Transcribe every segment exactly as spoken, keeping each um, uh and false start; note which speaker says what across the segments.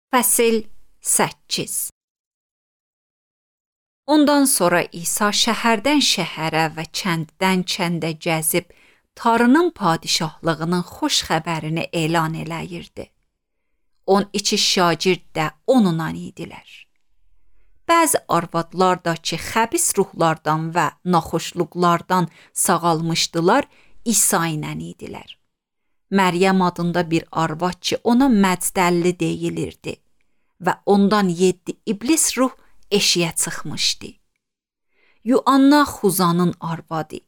Speaker 1: Fəsil səkkiz. Ondan sonra İsa şəhərdən şəhərə və kənddən kəndə gəzib, Tanrının padişahlığının xoş xəbərini elan eləyirdi. On iki şagird də onunla idilər. Bəzi arvadlar da ki, xəbis ruhlardan və naxoşluqlardan sağalmışdılar, İsa ilə idilər. Məryəm adında bir arvad ki, ona məcdəlli deyilirdi və ondan yeddi iblis ruh eşiyə çıxmışdı. Yuanna Xuzanın arvadı,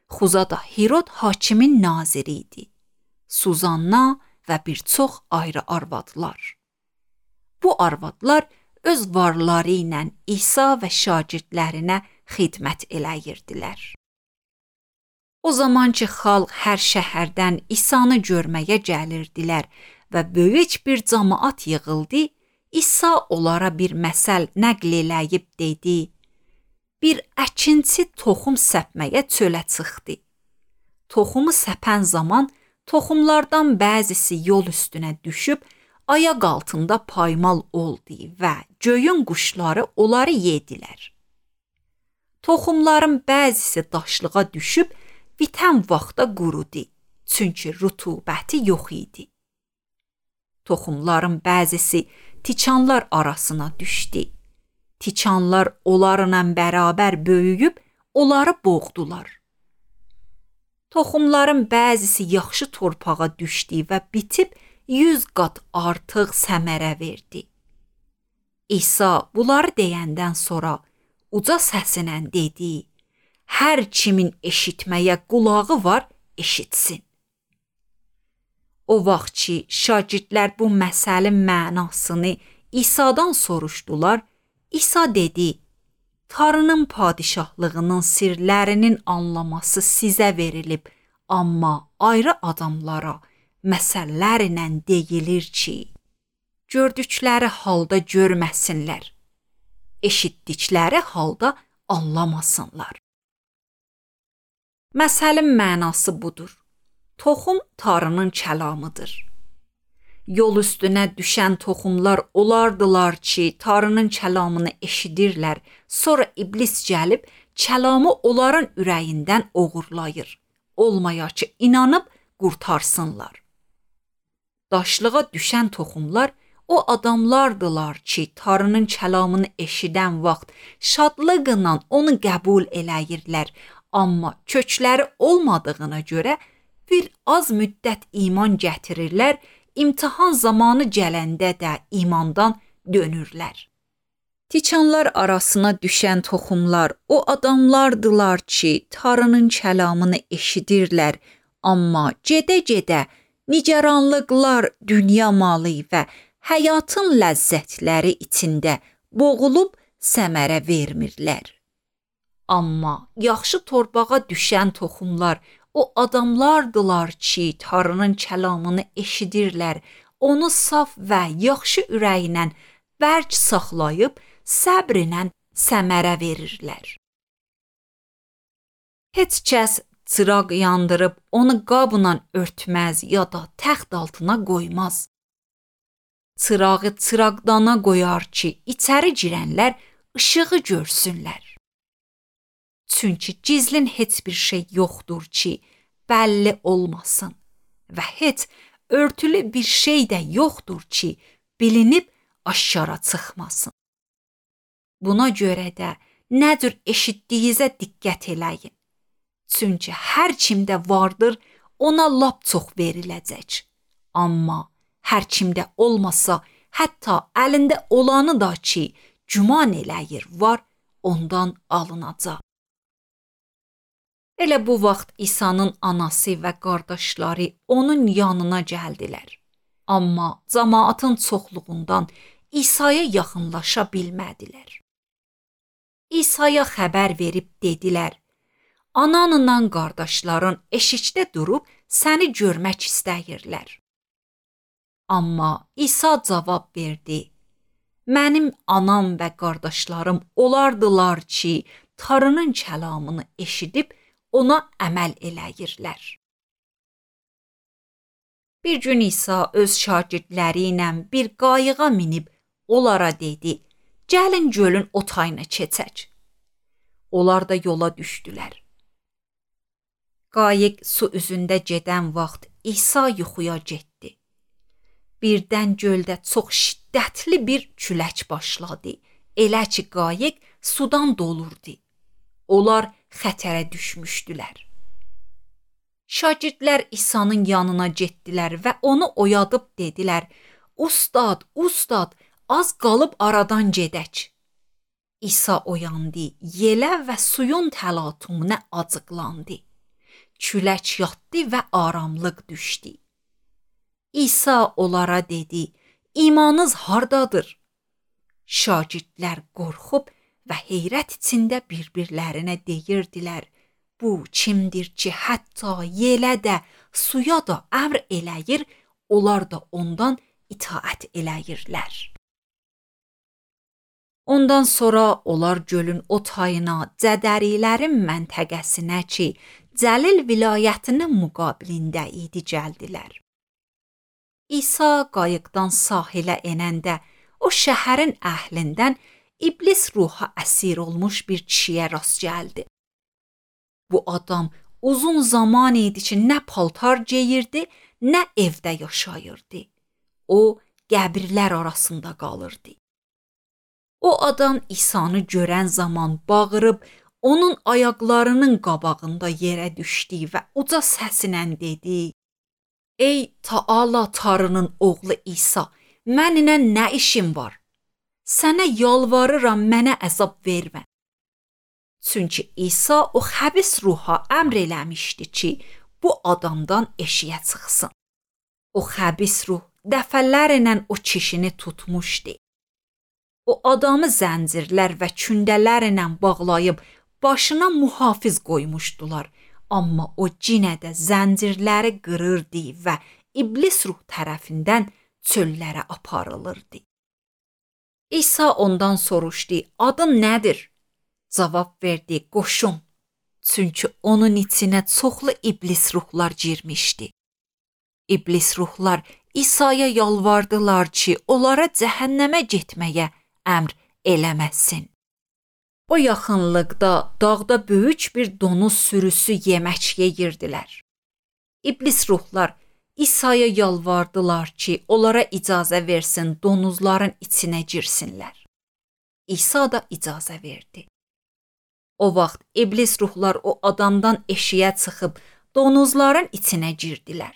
Speaker 1: Xuza da Hirod hakimin naziri idi. Suzanna və bir çox ayrı arvadlar. Bu arvadlar öz varları ilə İsa və şagirdlərinə xidmət eləyirdilər. O zaman ki, xalq hər şəhərdən İsanı görməyə gəlirdilər və böyük bir cəmaət yığıldı, İsa onlara bir məsəl nəql eləyib dedi: Bir əkinçi toxum səpməyə çölə çıxdı. Toxumu səpən zaman toxumlardan bəzisi yol üstünə düşüb, ayaq altında paymal oldu və göyün quşları onları yedilər. Toxumların bəzisi daşlığa düşüb, bitən vaxtda qurudu, çünki rütubəti yox idi. Toxumların bəzisi tikanlar arasına düşdü. Tikanlar onlarla bərabər böyüyüb, onları boğdular. Toxumların bəzisi yaxşı torpağa düşdü və bitib yüz qat artıq səmərə verdi. İsa bunları deyəndən sonra uca səsinə dedi: Hər kimin eşitməyə qulağı var, eşitsin. O vaxt ki, şagirdlər bu məsəlin mənasını İsa'dan soruşdular, İsa dedi: Tanrının padişahlığının sirlərinin anlaması sizə verilib, amma ayrı adamlara məsəllərlə deyilir ki, gördükləri halda görməsinlər, eşitdikləri halda anlamasınlar. Məsəlin mənası budur. Toxum Tanrının kəlamıdır. Yol üstünə düşən toxumlar olardılar ki, Tanrının kəlamını eşidirlər, sonra iblis gəlib kəlamı onların ürəyindən oğurlayır, olmaya ki, inanıb qurtarsınlar. Daşlığa düşən toxumlar o adamlardılar ki, Tanrının kəlamını eşidən vaxt şadlıqla onu qəbul eləyirlər, amma kökləri olmadığına görə bir az müddət iman gətirirlər, imtahan zamanı gələndə də imandan dönürlər. Tikanlar arasına düşən toxumlar o adamlardılar ki, Tanrının kəlamını eşidirlər, amma gedə-gedə nigaranlıqlar, dünya malı və həyatın ləzzətləri içində boğulub səmərə vermirlər. Amma yaxşı torpağa düşən toxumlar o adamlardılar ki, Tanrının kəlamını eşidirlər, onu saf və yaxşı ürəklə bərk saxlayıb, səbrlə səmərə verirlər. Heç kəs çıraq yandırıb onu qabla örtməz ya da təxt altına qoymaz. Çırağı çıraqdana qoyar ki, içəri girənlər işığı görsünlər. Çünki gizlin heç bir şey yoxdur ki, bəlli olmasın və heç örtülü bir şey də yoxdur ki, bilinib aşkara çıxmasın. Buna görə də nə cür eşitdiyinizə diqqət eləyin. Çünki hər kimdə vardır, ona lap çox veriləcək. Amma hər kimdə olmasa, hətta əlində olanı da ki, güman eləyir var, ondan alınacaq. Elə bu vaxt İsa'nın anası və qardaşları onun yanına gəldilər. Amma cəmaatın çoxluğundan İsa'ya yaxınlaşa bilmədilər. İsa'ya xəbər verib dedilər: Ananla qardaşların eşikdə durub səni görmək istəyirlər. Amma İsa cavab verdi: Mənim anam və qardaşlarım olardılar ki, Tanrının kəlamını eşidib ona əməl eləyirlər. Bir gün İsa öz şagirdləri ilə bir qayığa minib onlara dedi: "Gəlin gölün o tayına keçək." Onlar da yola düşdülər. Qayıq su üzündə gedən vaxt İsa yuxuya getdi. Birdən göldə çox şiddətli bir külək başladı. Elə ki qayıq sudan dolurdu. Onlar xətərə düşmüşdülər. Şagirdlər İsa'nın yanına getdilər və onu oyadıb dedilər: "Ustad, ustad, az qalıb aradan gedək." İsa oyandı, yelə və suyun təlatümünə acıqlandı. Külək yatdı və aramlıq düşdü. İsa onlara dedi: "İmanınız hardadır?" Şagirdlər qorxub və heyrət içində bir-birlərinə deyirdilər: "Bu kimdir ki, hətta yelə də, suya da əmr eləyir, onlar da ondan itaət eləyirlər." Ondan sonra onlar gölün o tayına, Cədərilərin məntəqəsinə ki, Cəlil vilayətinin müqabilində idi, gəldilər. İsa qayıqdan sahilə enəndə o şəhərin əhlindən iblis ruha əsir olmuş bir kişiyə rast gəldi. Bu adam uzun zaman idi ki, nə paltar geyirdi, nə evdə yaşayırdı. O, qəbirlər arasında qalırdı. O adam İsa'nı görən zaman bağırıb, onun ayaqlarının qabağında yerə düşdü və uca səslə dedi: "Ey Taala Tarının oğlu İsa, mənimlə nə işin var? Sənə yalvarıram, mənə əzab vermə." Çünki İsa o xəbis ruha əmr eləmişdi ki, bu adamdan eşiyə çıxsın. O xəbis ruh dəfələrlə o kişini tutmuşdu. O adamı zəncirlər və kündələrlə bağlayıb başına mühafiz qoymuşdular, amma o yenə də zəncirləri qırırdı və iblis ruh tərəfindən çöllərə aparılırdı. İsa ondan soruşdu: "Adın nədir?" Cavab verdi: "Qoşun." Çünki onun içinə çoxlu iblis ruhlar girmişdi. İblis ruhlar İsa'ya yalvardılar ki, onlara cəhənnəmə getməyə əmr eləməsin. O yaxınlıqda dağda böyük bir donuz sürüsü yemək yeyirdilər. İblis ruhlar İsa'ya yalvardılar ki, onlara icazə versin donuzların içinə girsinlər. İsa da icazə verdi. O vaxt iblis ruhlar o adamdan eşiyə çıxıb donuzların içinə girdilər.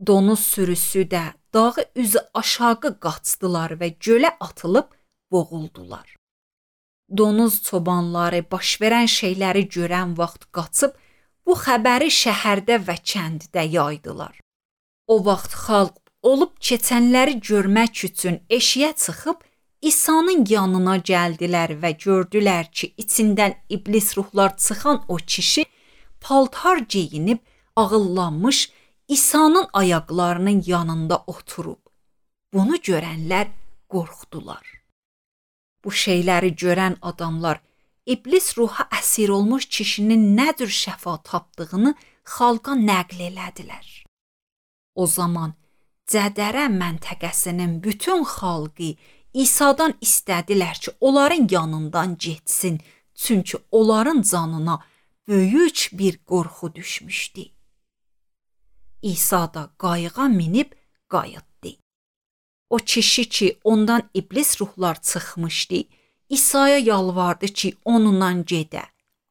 Speaker 1: Donuz sürüsü də dağı üzü aşağı qaçdılar və gölə atılıb boğuldular. Donuz çobanları baş verən şeyləri görən vaxt qaçıb bu xəbəri şəhərdə və kənddə yaydılar. O vaxt xalq olub keçənləri görmək üçün eşiyə çıxıb İsa'nın yanına gəldilər və gördülər ki, içindən iblis ruhlar çıxan o kişi paltar geyinib ağıllanmış İsa'nın ayaqlarının yanında oturub. Bunu görənlər qorxdular. Bu şeyləri görən adamlar iblis ruha əsir olmuş kişinin nə cür şəfa tapdığını xalqa nəql elədilər. O zaman Cədərə məntəqəsinin bütün xalqı İsa'dan istədilər ki, onların yanından getsin, çünki onların canına böyük bir qorxu düşmüşdü. İsa da qayığa minib qayıtdı. O kişi ki, ondan iblis ruhlar çıxmışdı, İsa'ya yalvardı ki, onunla gedə.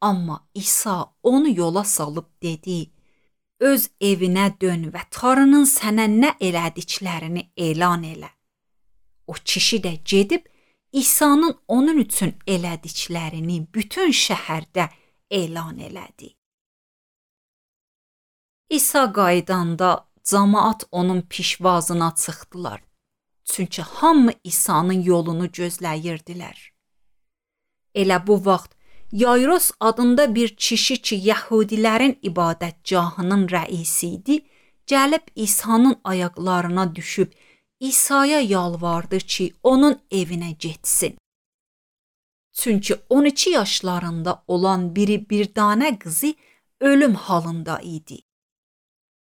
Speaker 1: Amma İsa onu yola salıb dedi: "Öz evinə dön və Tanrının sənə nə elədiklərini elan elə." O kişi də gedib İsa'nın onun üçün elədiklərini bütün şəhərdə elan elədi. İsa qaydanda cəmaət onun pişvazına çıxdılar. Çünki hamı İsa'nın yolunu gözləyirdilər. Elə bu vaxt Yayros adında bir kişi ki, Yəhudilərin ibadətgahının rəisi idi, gəlib İsa'nın ayaqlarına düşüb İsa'ya yalvardı ki, onun evinə getsin. Çünki on iki yaşlarında olan biri bir dənə qızı ölüm halında idi.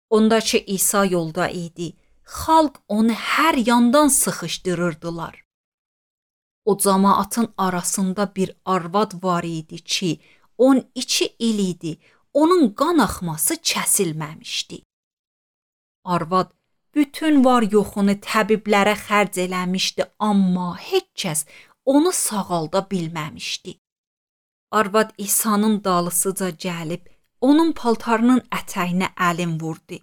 Speaker 1: Ondakı İsa yolda idi. Xalq onu hər yandan sıxışdırırdılar. O cəmaatın arasında bir arvad var idi ki, on iki il idi, onun qan axması kəsilməmişdi. Arvad bütün var yoxunu təbiblərə xərc eləmişdi, amma heç kəs onu sağalda bilməmişdi. Arvad İsa'nın dalısıca gəlib, onun paltarının ətəyinə əlin vurdu.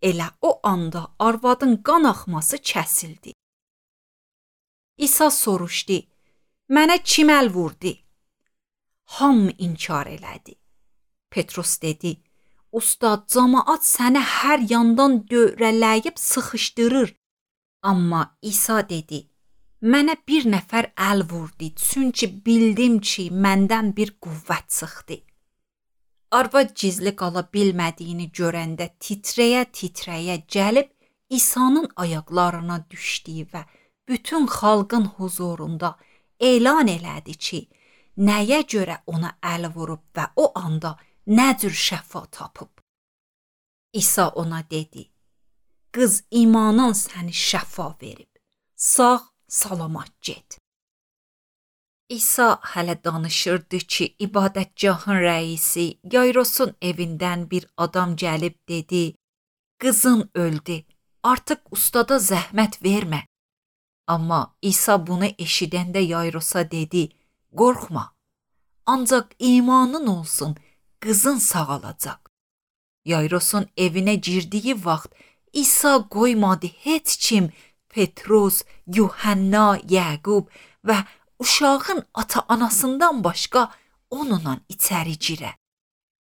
Speaker 1: Elə o anda arvadın qan axması kəsildi. İsa soruşdu, mənə kim əl vurdu? Hamı inkar elədi. Petrus dedi, Ustad, cəmaat səni hər yandan dövrələyib sıxışdırır. Amma İsa dedi, mənə bir nəfər əl vurdu, çünki bildim ki, məndən bir qüvvət çıxdı. Arvad gizli qala bilmədiyini görəndə titrəyə-titrəyə gəlib İsa'nın ayaqlarına düşdü və bütün xalqın huzurunda elan elədi ki, nəyə görə ona əl vurub və o anda nə cür şəfa tapıb. İsa ona dedi, qız imanın səni şəfa verib, sağ salamat get. İsa hələ danışırdı ki, ibadətgahın rəisi Yayrosun evindən bir adam gəlib dedi, qızın öldü, artıq ustada zəhmət vermə. Amma İsa bunu eşidəndə Yayrosa dedi, qorxma, ancaq imanın olsun, qızın sağalacaq. Yayrosun evinə girdiyi vaxt İsa qoymadı heç kim Petrus, Yuhanna, Yaqub və uşağın ata-anasından başqa onunla içəri girə.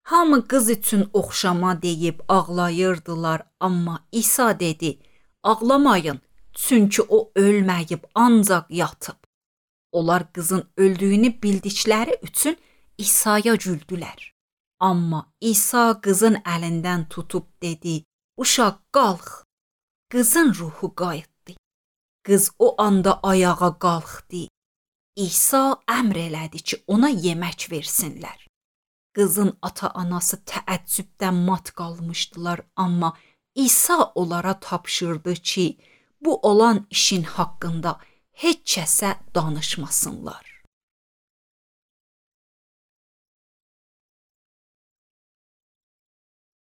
Speaker 1: Hamı qız üçün oxşama deyib ağlayırdılar, amma İsa dedi, ağlamayın, çünki o ölməyib, ancaq yatıb. Onlar qızın öldüyünü bildikləri üçün İsa'ya güldülər. Amma İsa qızın əlindən tutub dedi, uşaq qalx. Qızın ruhu qayıtdı. Qız o anda ayağa qalxdı. İsa əmr elədi ki, ona yemək versinlər. Qızın ata-anası təəccübdən mat qalmışdılar, amma İsa onlara tapşırdı ki, bu olan işin haqqında heç kəsə danışmasınlar.